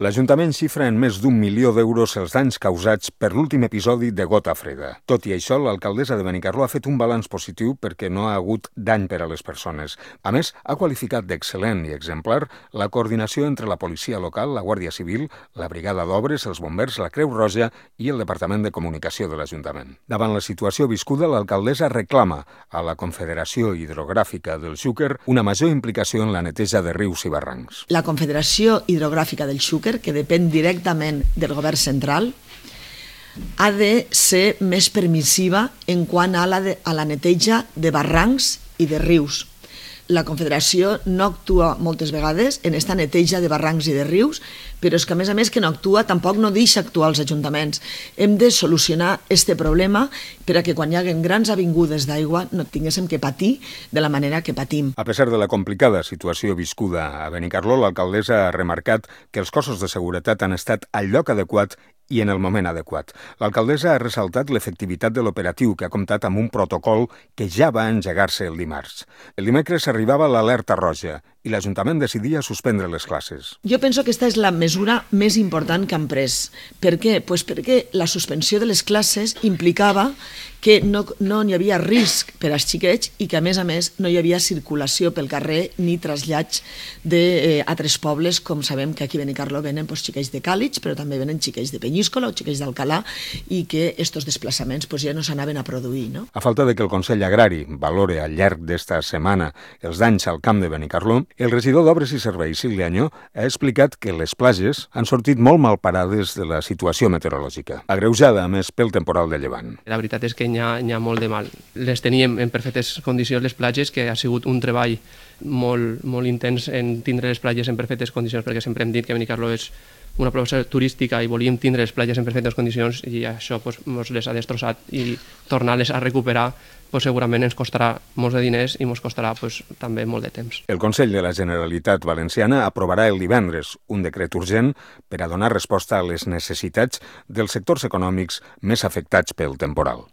L'Ajuntament xifra en més d'1 milió d'euros els danys causats per l'últim episodi de gota freda. Tot i això, l'alcaldessa de Benicarló ha fet un balanç positiu perquè no ha hagut dany per a les persones. A més, ha qualificat d'excel·lent i exemplar la coordinació entre la policia local, la Guàrdia Civil, la Brigada d'Obres, els bombers, la Creu Roja i el Departament de Comunicació de l'Ajuntament. Davant la situació viscuda, l'alcaldessa reclama a la Confederació Hidrogràfica del Xúquer una major implicació en la neteja de rius i barrancs. La Confederació Hidrogràfica del Xúquer, que depèn directament del govern central, ha de ser més permissiva en quant a la neteja de barrancs i de rius. La Confederació no actua moltes vegades en esta neteja de barrancs i de rius, però és que a més que no actua, tampoc no deixa actuar els ajuntaments. Hem de solucionar este problema per a que quan hi hagi grans avingudes d'aigua no tinguéssim que patir de la manera que patim. A pesar de la complicada situació viscuda a Benicarló, l'alcaldessa ha remarcat que els cossos de seguretat han estat al lloc adequat i en el moment adequat. L'alcaldessa ha ressaltat l'efectivitat de l'operatiu, que ha comptat amb un protocol que ja va engegar-se el dimarts. El dimecres arribava l'alerta roja i l'Ajuntament decidia suspendre les classes. Jo penso que aquesta és la mesura més important que han pres. Per què? Pues perquè la suspensió de les classes implicava que no hi havia risc per als xiquets i que, a més, no hi havia circulació pel carrer ni trasllats d'altres pobles, com sabem que aquí a Benicarló venen xiquets de Càlig, però també venen xiquets de Penyíscola o xiquets d'Alcalà, i que aquests desplaçaments ja no s'anaven a produir. A falta de que el Consell Agrari valore al llarg d'esta setmana els danys al camp de Benicarló, el regidor d'Obres i Serveis, Silvia Añó, ha explicat que les platges han sortit molt mal parades de la situació meteorològica, agreujada, a més, pel temporal de llevant. La veritat és que n'hi ha molt de mal. Les teníem en perfectes condicions, les platges, que ha sigut un treball molt intens en tindre les platges en perfectes condicions, perquè sempre hem dit que Benicarló és una proposta turística i volíem tindre les platges en perfectes condicions i això ens les ha destrossat, i tornar-les a recuperar segurament ens costarà molts de diners i ens costarà també molt de temps. El Consell de la Generalitat Valenciana aprovarà el divendres un decret urgent per a donar resposta a les necessitats dels sectors econòmics més afectats pel temporal.